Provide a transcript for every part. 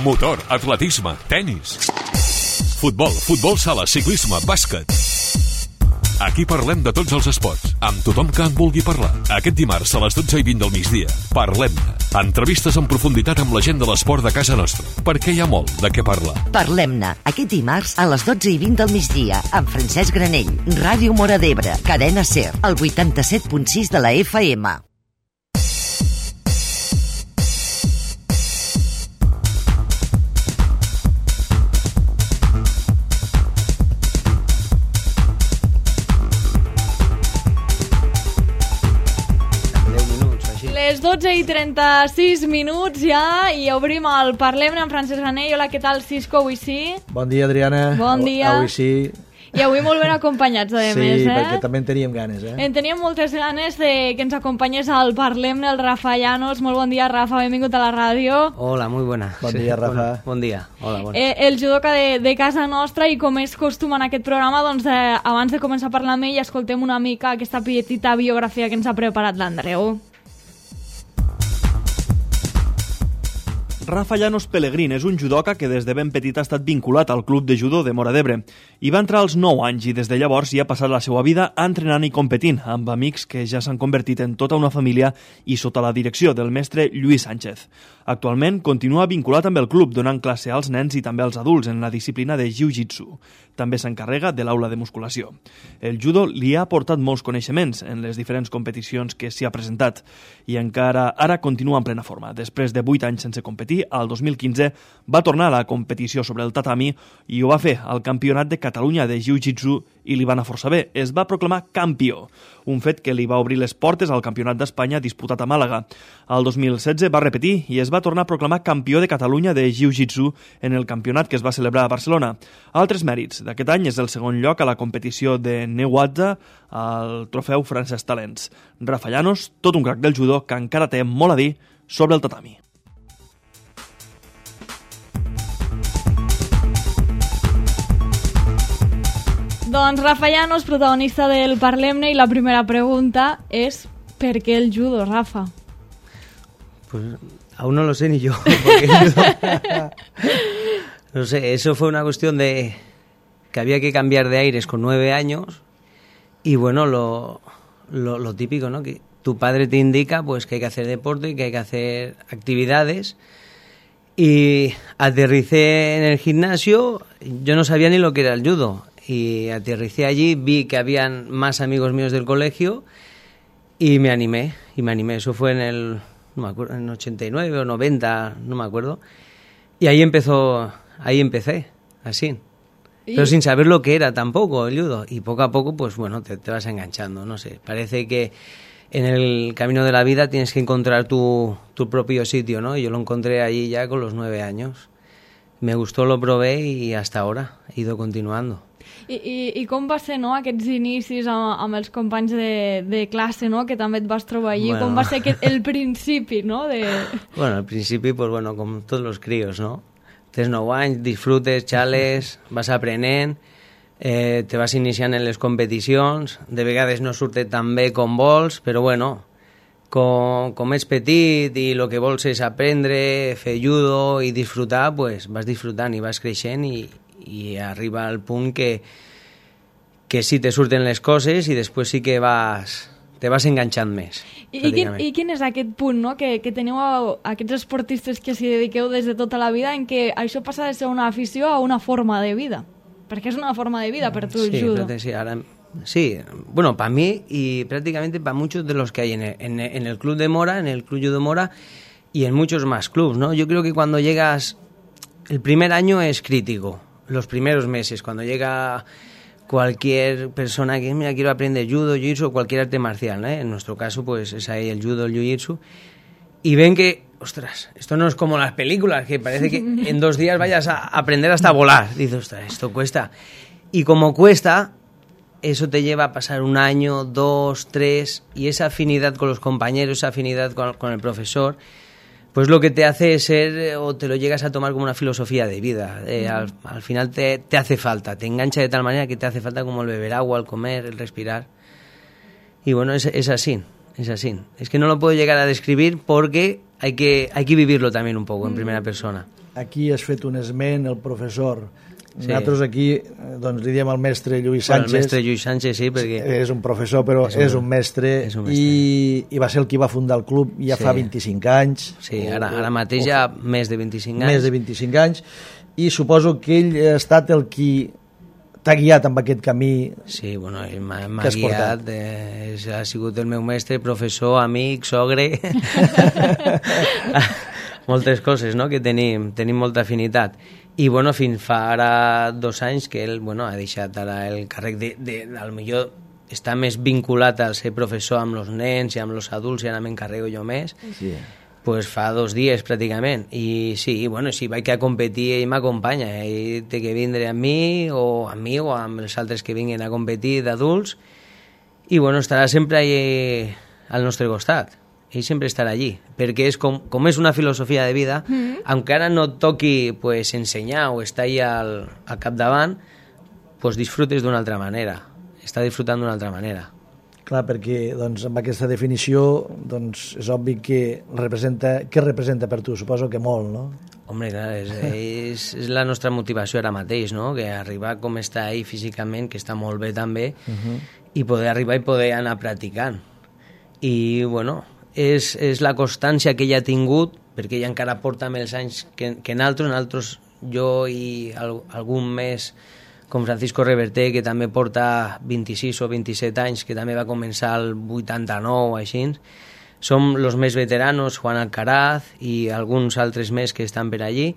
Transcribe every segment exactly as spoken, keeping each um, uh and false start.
motor, atletisme, tenis, futbol, futbol sala, ciclisme, bàsquet. Aquí parlem de tots els esports, amb tothom que en vulgui parlar. Aquest dimarts a les dotze i vint del migdia, Parlem-ne. Entrevistes en profunditat amb la gent de l'esport de casa nostra, perquè hi ha molt de què parlar. Parlem-ne, aquest dimarts a les dotze i vint del migdia, amb Francesc Granell, Ràdio Móra d'Ebre, Cadena SER, el vuitanta-set punt sis de la F M. Les dotze i trenta-sis minuts ja i obrim el Parlem-ne amb Francesc Granell. Hola, què tal, Cisco? Avui sí? Bon dia, Adriana. Bon dia. Avui sí. I avui molt ben acompanyats, a sí, més, eh? Sí, perquè també en teníem ganes, eh? En teníem moltes ganes de que ens acompanyés al Parlem-ne el Rafa Llanos. Molt bon dia, Rafa, benvingut a la ràdio. Hola, muy buena. Bon dia, Rafa. Bueno, bon dia. Hola, bona. Eh, el judoka de, de casa nostra, i com és costum en aquest programa, doncs eh, abans de començar a parlar amb ell, escoltem una mica aquesta petita biografia que ens ha preparat l'Andreu. Rafa Llanos Pellegrín és un judoka que des de ben petit ha estat vinculat al club de judo de Móra d'Ebre. Hi va entrar als nou anys i des de llavors hi ha passat la seva vida entrenant i competint, amb amics que ja s'han convertit en tota una família i sota la direcció del mestre Lluís Sánchez. Actualment continua vinculat amb el club, donant classe als nens i també als adults en la disciplina de jiu-jitsu. També s'encarrega de l'aula de musculació. El judo li ha aportat molts coneixements en les diferents competicions que s'hi ha presentat i encara ara continua en plena forma. Després de vuit anys sense competir, al dos mil quinze va tornar a la competició sobre el tatami i ho va fer al Campionat de Catalunya de Jiu-Jitsu i li va anar força bé. Es va proclamar campió, un fet que li va obrir les portes al Campionat d'Espanya disputat a Màlaga. Al dos mil setze va repetir i es va tornar a proclamar campió de Catalunya de Jiu-Jitsu en el campionat que es va celebrar a Barcelona. Altres mèrits d'aquest any és el segon lloc a la competició de Neguatza al trofeu Francesc Talents. Rafa Llanos, tot un crac del judo que encara té molt a dir sobre el tatami. Doncs Rafa Llanos, protagonista del Parlem-ne, i la primera pregunta és ¿per qué el judo, Rafa? Pues aún no lo sé ni yo. Porque no sé, eso fue una cuestión de que había que cambiar de aires con nueve años y bueno, lo, lo, lo típico, ¿no? Que tu padre te indica pues que hay que hacer deporte, que hay que hacer actividades. Y aterricé en el gimnasio, yo no sabía ni lo que era el judo. Y aterricé allí, vi que habían más amigos míos del colegio y me animé, y me animé. Eso fue en el, no me acuerdo, en ochenta y nueve o noventa, no me acuerdo. Y ahí empezó, ahí empecé, así. Pero sin saber lo que era tampoco el judo. Y poco a poco, pues bueno, te, te vas enganchando, no sé. Parece que en el camino de la vida tienes que encontrar tu, tu propio sitio, ¿no? Y yo lo encontré allí ya con los nueve años. Me gustó, lo probé y hasta ahora he ido continuando. I, i, I com va ser, no, aquests inicis amb, amb els companys de, de classe, no, que també et vas trobar allí? Bueno. Com va ser aquest, el principi, no? De... Bueno, al principi, pues bueno, com tots els crios, no? Tens nou anys, disfrutes, xales, vas aprenent, eh, te vas iniciant en les competicions, de vegades no surte tan bé com vols, però bueno, com, com ets petit i el que vols és aprendre, fer judo i disfrutar, pues vas disfrutant i vas creixent i i arriba al punt que, que sí te surten les coses i després sí que vas, te vas enganxant més. I, i, quin, I quin és aquest punt, no? que, que teniu a, a aquests esportistes que s'hi dediqueu des de tota la vida, en què això passa de ser una afició a una forma de vida? Perquè és una forma de vida per tu el sí, judo. Sí, ahora, sí, bueno, para mí y prácticamente para muchos de los que hay en el, en, en el club de Móra, en el club judo Móra y en muchos más clubs, ¿no? Yo creo que cuando llegas, el primer año es crítico. Los primeros meses, cuando llega cualquier persona que, mira, quiero aprender judo, jiu-jitsu o cualquier arte marcial, ¿eh? En nuestro caso, pues es ahí el judo, el jiu-jitsu, y ven que, ostras, esto no es como las películas, que parece que en dos días vayas a aprender hasta volar. Dices, ostras, esto cuesta. Y como cuesta, eso te lleva a pasar un año, dos, tres, y esa afinidad con los compañeros, esa afinidad con, con el profesor, pues lo que te hace es ser, o te lo llegas a tomar como una filosofía de vida. Eh, al, al final te, te hace falta, te engancha de tal manera que te hace falta como el beber agua, el comer, el respirar. Y bueno, es, es así, es así. Es que no lo puedo llegar a describir porque hay que, hay que vivirlo también un poco en primera persona. Aquí has fet un esment, el professor. Sí. Nosaltres aquí doncs, li diem al mestre Lluís Sánchez. Bueno, el mestre Lluís Sánchez, sí, perquè... És un professor, però és un, és un mestre, és un mestre. I, i va ser el qui va fundar el club ja sí. fa vint-i-cinc anys. Sí, ara, ara mateix ja més de vint-i-cinc anys. Més de vint-i-cinc anys, i suposo que ell ha estat el qui t'ha guiat amb aquest camí. Sí, bueno, ell m'ha guiat, eh, ha sigut el meu mestre, professor, amic, sogre... moltes coses, no?, que tenim, tenim molta afinitat. I, bueno, fins fa ara dos anys que ell, bueno, ha deixat ara el càrrec de, de, al millor està més vinculat al ser professor amb els nens i amb els adults, i ara m'encarrego jo més. Sí. Pues fa dos dies, pràcticament. I sí, bueno, si vaig a competir, ell m'acompanya. Ell té que vindre amb mi, o amb mi, o amb els altres que vinguin a competir d'adults. I, bueno, estarà sempre allà al nostre costat. Ell sempre estarà allí, perquè és com, com és una filosofia de vida, mm-hmm. encara no et toqui pues, ensenyar o estar allà al, al capdavant, pues, disfrutes d'una altra manera, està disfrutant d'una altra manera. Clar, perquè doncs, amb aquesta definició doncs, és obvi que representa, què representa per tu? Suposo que molt, no? Home, clar, és, és, és la nostra motivació ara mateix, no? Que arribar com està ell físicament, que està molt bé també, uh-huh. i poder arribar i poder anar practicant. I, bueno... És, és la constància que ell ha tingut, perquè ell encara porta més anys que, que nosaltres, nosaltres, jo i al, algun més com Francisco Reverter, que també porta vint-i-sis o vint-i-set anys, que també va començar el vuitanta-nou o així. Som els més veteranos, Juan Alcaraz i alguns altres més que estan per allí.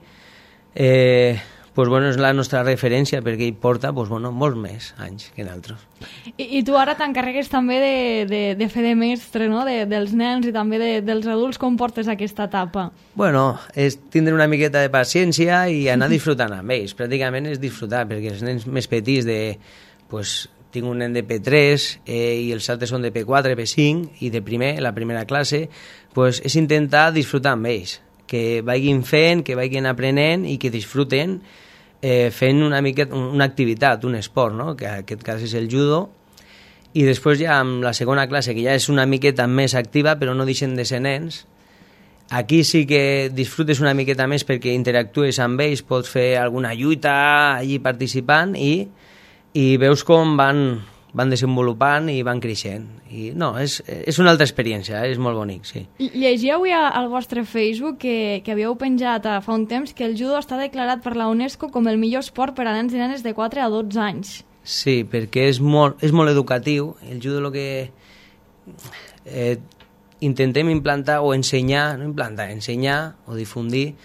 Eh, pues bueno, és la nostra referència, perquè ell porta pues bueno, molts més anys que nosaltres. I, i tu ara t'encarregues també de, de, de fer de mestre, no?, de, dels nens i també de, dels adults. Com portes aquesta etapa? Bueno, és tindre una miqueta de paciència i anar disfrutant amb ells. Pràcticament és disfrutar, perquè els nens més petits de... Pues, tinc un nen de P tres eh, i els altres són de P quatre, P cinc, i de primer, la primera classe, pues, és intentar disfrutar amb ells, que vagin fent, que vagin aprenent i que disfruten eh, fent una miqueta, una activitat, un esport, no?, que en aquest cas és el judo. I després ja amb la segona classe, que ja és una miqueta més activa, però no deixen de ser nens, aquí sí que disfrutes una miqueta més perquè interactues amb ells, pots fer alguna lluita allí participant i, i veus com van, van desenvolupant i van creixent. I no, és, és una altra experiència, eh? És molt bonic, sí. Llegia avui al vostre Facebook que, que havíeu penjat fa un temps que el judo està declarat per la UNESCO com el millor esport per a nens i nenes de quatre a dotze anys. Sí, perquè és molt, és molt educatiu. El judo el que eh, intentem implantar o ensenyar, no implantar, ensenyar o difundir,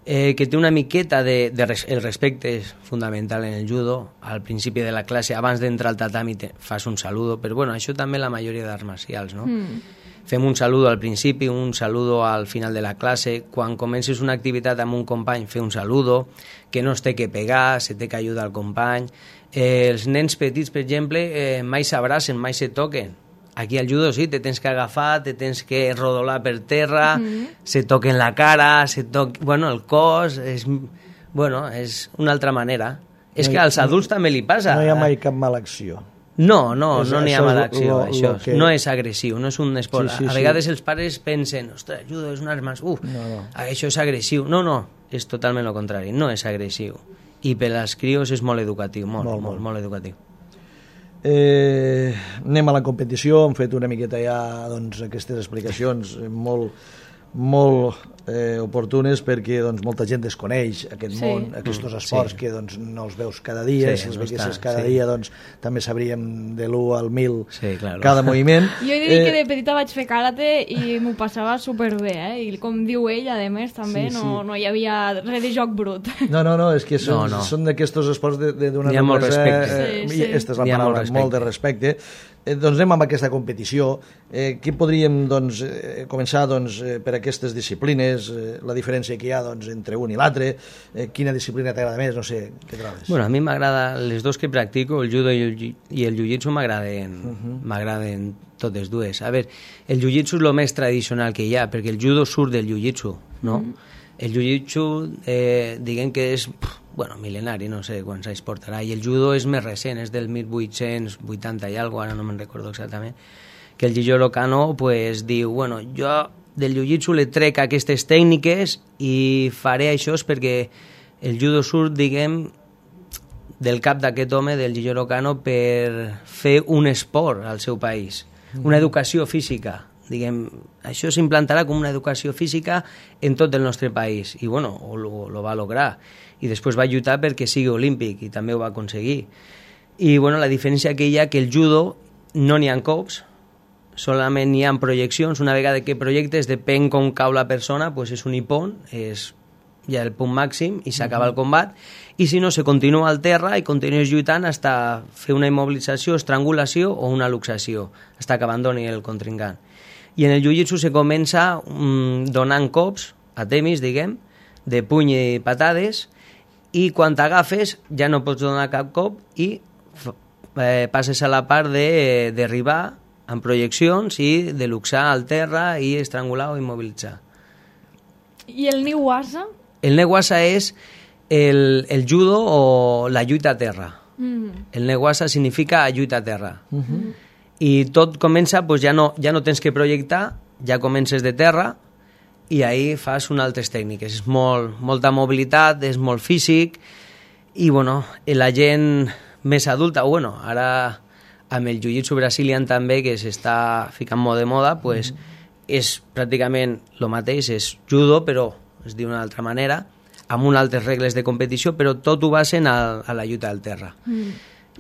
eh, que té una miqueta de, de res, el respecte és fundamental en el judo. Al principi de la classe, abans d'entrar al tatami, te, fas un saludo, però bueno, això també la majoria d'arts marcials, no? Mm. Fem un saludo al principi, un saludo al final de la classe. Quan comences una activitat amb un company, fer un saludo, que no es té que pegar, se té que ajudar al company. Eh, els nens petits, per exemple, eh, mai s'abracen, mai se toquen. Aquí al judo sí, te tens que agafar, te tens que rodolar per terra, mm-hmm. se toquen la cara, se toquen, bueno, el cos, és, bueno, és una altra manera. No és que als adults no, també li passa. No hi ha mai cap mala acció. No, no, és, no n'hi ha mala acció, lo, això. Lo que... No és agressiu, no és un esport. Sí, sí, a vegades sí. Els pares pensen, ostres, judo és un art més... Uf, no, no. Això és agressiu. No, no, és totalment el contrari, no és agressiu. I per als crios és molt educatiu, molt, molt, molt, molt educatiu. Eh, anem a la competició, hem fet una miqueta ja doncs, aquestes explicacions molt, molt eh, oportunes perquè doncs, molta gent desconeix aquest sí. món, aquests mm, esports sí. que doncs, no els veus cada dia, sí, si els no veiessis cada sí. dia doncs, també sabríem de l'u al mil sí, claro. cada moviment. Jo he de dir eh, que de petita vaig fer karate i m'ho passava superbé, eh? I com diu ell, a més, també sí, sí. No, no hi havia res de joc brut. No, no, no, és que són, no, no. són d'aquests esports d'una hi ha molt respecte. Eh, sí, sí. Aquesta és la paraula, molt, molt de respecte. Eh, doncs anem amb aquesta competició. Eh, què podríem doncs, eh, començar doncs, eh, per aquestes disciplines, eh, la diferència que hi ha doncs, entre un i l'altre, eh, quina disciplina t'agrada més, no sé, què trobes? Bueno, a mi m'agrada, les dos que practico, el judo i el, i el jiu-jitsu m'agraden uh-huh. m'agraden totes dues. A veure, el jiu-jitsu és el més tradicional que hi ha, perquè el judo surt del jiu-jitsu, no? Uh-huh. El jiu-jitsu, eh, diguem que és... Pff, bueno, mil·lenari, no sé quants anys portarà, i el judo és més recent, és del mil vuit-cents vuitanta i alguna cosa, ara no me'n recordo exactament, que el Jigoro Kano pues, diu, bueno, jo del jiu-jitsu li trec aquestes tècniques i faré això perquè el judo surt, diguem, del cap d'aquest home, del Jigoro Kano, per fer un esport al seu país, una educació física. Diguem, això s'implantarà com una educació física en tot el nostre país i bueno, ho, lo va lograr i després va lluitar perquè sigui olímpic i també ho va aconseguir i bueno, la diferència que hi ha que el judo no n'hi ha cops, solament n'hi ha projeccions, una vegada que projectes depèn com cau la persona, pues és un ippon, és ja el punt màxim i s'acaba uh-huh. el combat i si no se continua al terra i continues lluitant fins a fer una immobilització, estrangulació o una luxació, fins que abandoni el contrincant. I en el jiu-jitsu se comença mmm, donant cops, a temis, diguem, de puny i patades, i quan t'agafes ja no pots donar cap cop i eh, passes a la part de derribar amb projeccions i de luxar al terra i estrangular o immobilitzar. I el Niwasa? El Niwasa és el, el judo o la lluita a terra. Mm. El Niwasa significa lluita a terra. Mm-hmm. I tot comença, doncs ja no, ja no tens que projectar, ja comences de terra i ahí fas unes altres tècniques. És molt, molta mobilitat, és molt físic i bueno, la gent més adulta, o bueno, ara amb el jiu-jitsu brasilian també, que s'està ficant molt de moda, pues, mm. és pràcticament el mateix, és judo, però es diu d'una altra manera, amb unes altres regles de competició, però tot ho basen a, a la lluita al terra. Mm.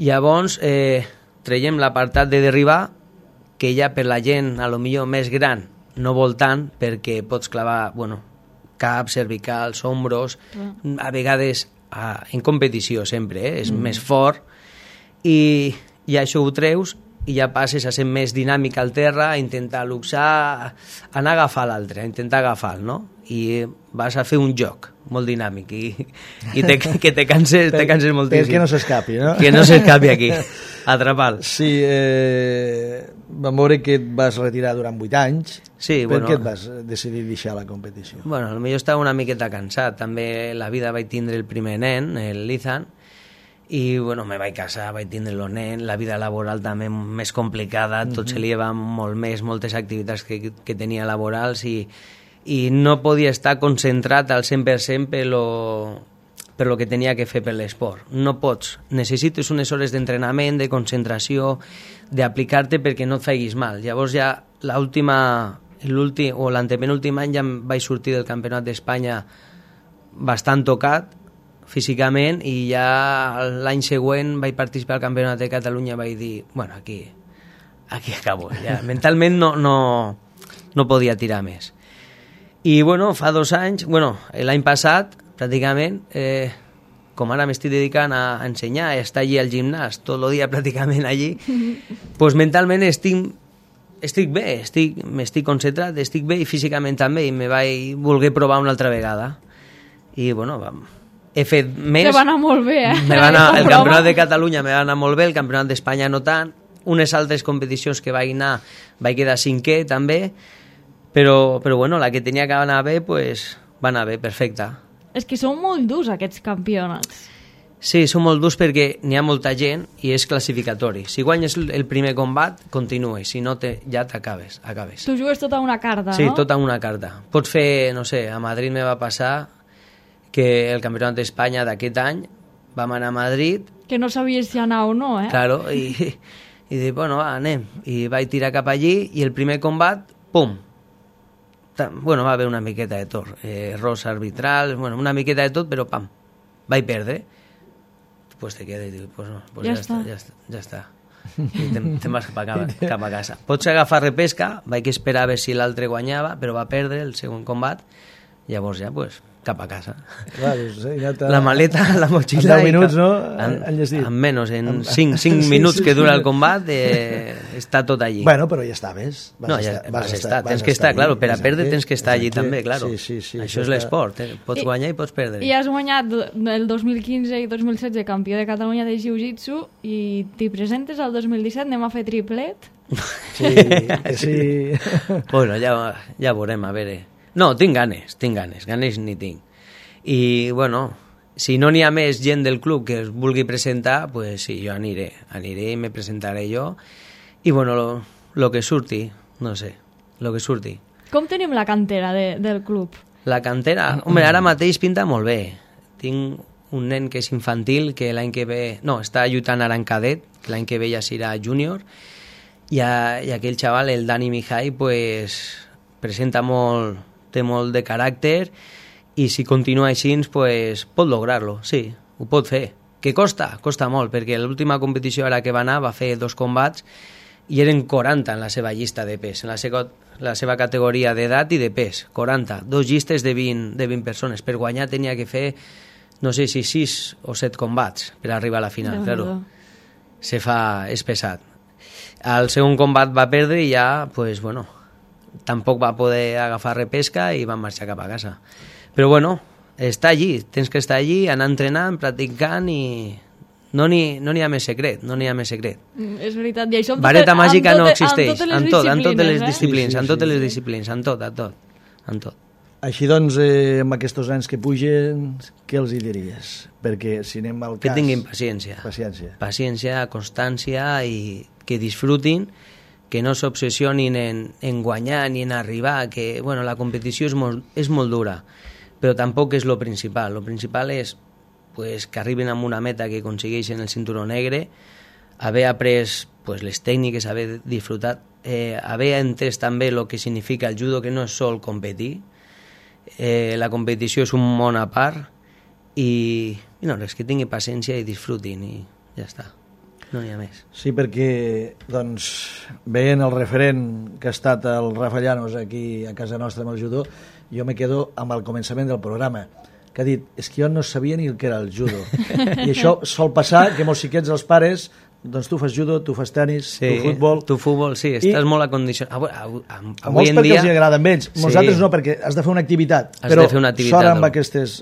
Llavors, eh, traiem l'apartat de derribar, que ja per la gent a lo millor més gran no vol tant, perquè pots clavar, bueno, cap, cervicals, ombros, mm. a vegades a, en competició sempre, eh? És mm. més fort, i, i això ho treus i ja passes a ser més dinàmic al terra, a intentar luxar, anar a agafar l'altre, a intentar agafar, no? I vas a fer un joc molt dinàmic i, i te, que te canses, te canses moltíssim. Que no s'escapi, no? Que no s'escapi aquí, atrapar-lo. Sí, eh, vam veure que et vas retirar durant vuit anys. Sí, per bueno, què et vas decidir deixar la competició? Bueno, potser estava una miqueta cansat. També la vida vaig tindre el primer nen, el Lizan, i bueno, me vaig casar, vaig tindre el nen, la vida laboral també més complicada, tot uh-huh. se li va molt més, moltes activitats que, que tenia laborals i, i no podia estar concentrat al cent per cent per lo, per lo que tenia que fer per l'esport. No pots, necessites unes hores d'entrenament, de concentració, d'aplicar-te perquè no et faiguis mal. Llavors ja l'última, l'últim o l'antepenúltim any ja em vaig sortir del Campionat d'Espanya bastant tocat físicament i ja l'any següent vaig participar al Campionat de Catalunya i vaig dir, bueno, aquí, aquí acabo. Ja. Mentalment no, no, no podia tirar més. I bueno, fa dos anys, bueno, l'any passat, pràcticament, eh, com ara m'estic dedicant a ensenyar, a estar allí al gimnàs, tot el dia pràcticament allí, pues mentalment estic, estic bé, estic, m'estic concentrat, estic bé i físicament també, i me vaig voler provar una altra vegada. I bueno, vam... he fet més... Te va anar molt bé, eh? Me va anar, el Campionat de Catalunya me va anar molt bé, el Campionat d'Espanya no tant, unes altres competicions que vaig anar, vaig quedar cinquè també, però, però bueno, la que tenia que anar bé, pues, va anar bé, perfecte. És que són molt durs aquests campionats. Sí, són molt durs perquè n'hi ha molta gent i és classificatori. Si guanyes el primer combat, continues, si no te, ja t'acabes. Acabes. Tu jugues tota una carta, sí, no? Sí, tota una carta. Pots fer, no sé, a Madrid me va passar que el Campionat d'Espanya d'aquest any vam anar a Madrid... Que no sabies si anar o no, eh? Claro, i, i dic, bueno, va, anem. I vaig tirar cap allí i el primer combat, pum! Bueno, va haver una miqueta de tot. Eh, errors arbitrals, bueno, una miqueta de tot, però pam, vaig perdre. Pues te quedes i dic, pues no, pues ja, ja està, ja està, ja està. I te'n te vas cap a, cap a casa. Pots agafar repesca, vaig esperar a veure si l'altre guanyava, però va perdre el segon combat, llavors ja, pues... cap a casa. Clar, doncs, ja la maleta, la motxilla... En deu minuts, no? En, en menys, en cinc minuts que dura el combat, eh, està tot allí. Bueno, però ja estaves. Vas no, ja estar, vas, vas estar, tens que estar, allí, claro, per a perdre tens que estar allí també, claro. Sí, sí, sí, això és l'esport, eh? Pots I, guanyar i pots perdre. I has guanyat el dos mil quinze i dos mil setze campió de Catalunya de Jiu-Jitsu i t'hi presentes al dos mil disset, anem a fer triplet? Sí, sí. Bueno, ja, ja veurem, a veure... No, tinc ganes, tinc ganes, ganes ni tinc. I, bueno, si no n'hi ha més gent del club que es vulgui presentar, pues sí, jo aniré, aniré i me presentaré jo. I, bueno, lo, lo que surti, no sé, lo que surti. com tenim la cantera de, del club? La cantera, home, ara mateix pinta molt bé. Tinc un nen que és infantil, que l'any que ve... No, està lluitant ara en cadet, que l'any que ve ja serà júnior, i, a, i aquell xaval, el Dani Mihai, pues, presenta molt, té molt de caràcter, i si continua així, pues, pot lograr-lo, sí, ho pot fer. Que costa? Costa molt, perquè l'última competició ara que va anar va fer dos combats i eren quaranta en la seva llista de pes, en la seva, la seva categoria d'edat i de pes, quaranta, dos llistes de vint, de vint persones. Per guanyar tenia que fer, no sé si sis o set combats per arribar a la final, claro. Se fa, és pesat. Al segon combat va perdre i ja, pues, bueno, tampoc va poder agafar repesca i va marxar cap a casa. Però bueno, està allí, tens que estar allí, anar entrenant, practicant i no n'hi no n'hi ha més secret, no n'hi ha més secret. Mm, és veritat, i això... Vareta tot, màgica tot, no existeix, en totes en totes les eh? disciplines, sí, sí, en totes sí, les sí. disciplines, en tot, en tot, en tot. Així doncs, eh, amb aquests anys que pugen, què els hi diries? Perquè si anem al cas... Que tinguin paciència. Paciència. Paciència, constància i que disfrutin, que no s'obsessionin en, en guanyar ni en arribar, que bueno, la competició és molt, és molt dura, però tampoc és lo principal. Lo principal és pues, que arriben a una meta que aconsegueixen el cinturó negre, haver après pues, les tècniques, haver disfrutat, eh, haver entès també el que significa el judo, que no és sol competir, eh, la competició és un món a part, i, i no, és que tingui paciència i disfrutin, i ja està. No n'hi ha més. Sí, perquè, doncs, veient el referent que ha estat el Rafa Llanos aquí a casa nostra amb el judo, jo me quedo amb el començament del programa, que ha dit, és que jo no sabia ni el que era el judo. I això sol passar, que molts xiquets, els pares, doncs tu fas judo, tu fas tenis, sí, tu futbol... Tu futbol, sí, estàs I... molt acondicionat. Avui, avui, avui, a molts en perquè dia... els agrada amb ells, nosaltres sí. no, perquè has de fer una activitat, has però de fer una activitat, sort amb no? aquestes...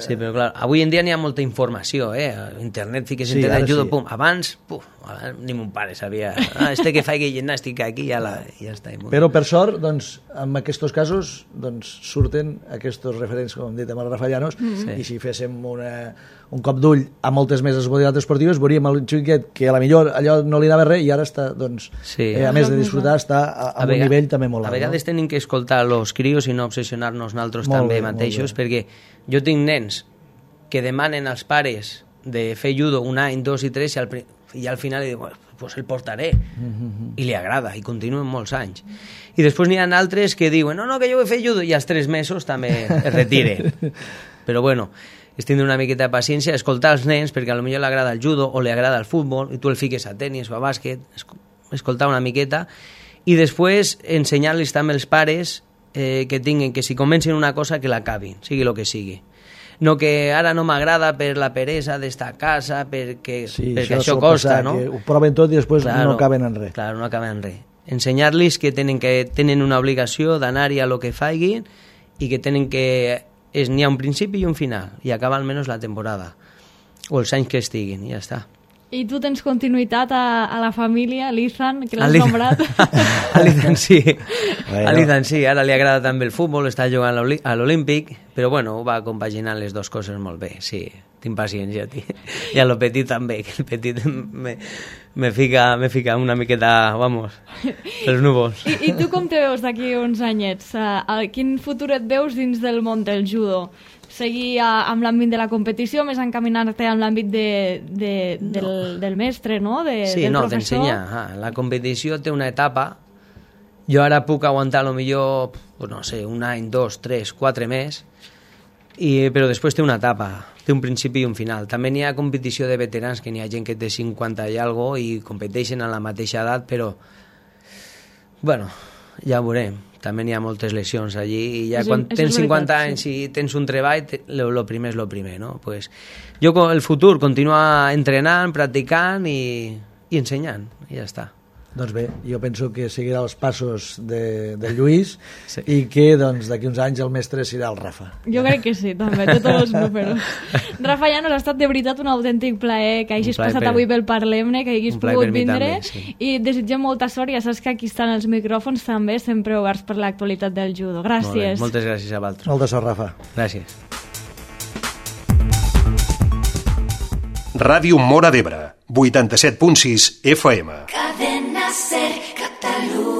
Sí, però clar, avui en dia n'hi ha molta informació, eh? Internet, fiques sí, internet, judo, sí. pum. Abans, pum, ni mon pare sabia. Ah, este que faig gimnàstica aquí, ja, la, ja està. Però per sort, doncs, en aquests casos, doncs, surten aquests referents, com hem dit, amb el Rafa Llanos, mm-hmm. i si féssim una, un cop d'ull a moltes més modalitats esportives, veuríem el xiquet que a la millor allò no li anava res i ara està, doncs, sí. eh, a més de disfrutar, està a, a, a un vegades, nivell també molt alt. A vegades no? Tenim que escoltar els crios i no obsessionar-nos nosaltres molt també bé, mateixos, perquè jo tinc nens que demanen als pares de fer judo un any, dos i tres, i al, i al final li diuen, pues el portaré, mm-hmm. i li agrada, i continuen molts anys. I després n'hi ha altres que diuen, no, no, que jo vull fer judo, i als tres mesos també es retiren. Però bueno, és tindre una miqueta de paciència, escoltar els nens, perquè a lo millor li agrada el judo o li agrada el futbol, i tu el fiques a tenis o a bàsquet, escoltar una miqueta, i després ensenyar-los també els pares eh, que tinguin, que si comencen una cosa, que l'acabin, sigui el que sigui. No que ara no m'agrada per la peresa d'estar a casa, perquè, sí, perquè això, això costa, no? Que ho proven tot i després claro, no acaben en res. Claro, no acaben en res. Ensenyar-los que tenen, que tenen una obligació d'anar-hi a lo que faiguin i que tenen que... És, n'hi ha un principi i un final, i acaba almenys la temporada, o els anys que estiguin, i ja està. I tu tens continuïtat a, a la família, a l'Izan, que l'has nombrat? A l'Izan sí, bueno. a l'Izan sí, ara li agrada també el futbol, està jugant a l'Olímpic, però bueno, va compaginant les dues coses molt bé, sí, tinc paciència, tio. I a lo petit també, que el petit me, me, fica, me fica una miqueta, vamos, els núvols. I, I tu com te veus d'aquí uns anyets? Uh, quin futur et veus dins del món del judo? Seguir a, amb l'àmbit de la competició, més encaminar-te amb l'àmbit de, de, del, no. del mestre, no? De, sí, del no, professor. d'ensenyar. Ah, la competició té una etapa. Jo ara puc aguantar a lo millor, no sé, un any, dos, tres, quatre més, i, però després té una etapa, té un principi i un final. També n'hi ha competició de veterans, que n'hi ha gent que té cinquanta i algo i competeixen a la mateixa edat, però, bueno, ja ho veurem. També n'hi ha moltes lesions allí, i ja és, quan tens cinquanta veritat, anys sí. i tens un treball, el primer és el primer, no? Pues, jo, el futur, continuar entrenant, practicant i, i ensenyant, i ja està. Doncs bé, jo penso que seguirà els passos de, de Lluís sí. i que doncs, d'aquí uns anys el mestre serà el Rafa. Jo crec que sí, també, té tots els números. Rafa, ja nos ha estat de veritat un autèntic plaer que hagis passat per... avui pel Parlem-ne, que hagis pogut vindre, també, sí. i desitgem molta sort, ja saps que aquí estan els micròfons també, sempre oberts per l'actualitat del judo. Gràcies. Molt Moltes gràcies a vosaltres. Molta sort, Rafa. Gràcies. Ràdio Móra d'Ebre, vuitanta-set punt sis F M. Cadena Ser Catalunya.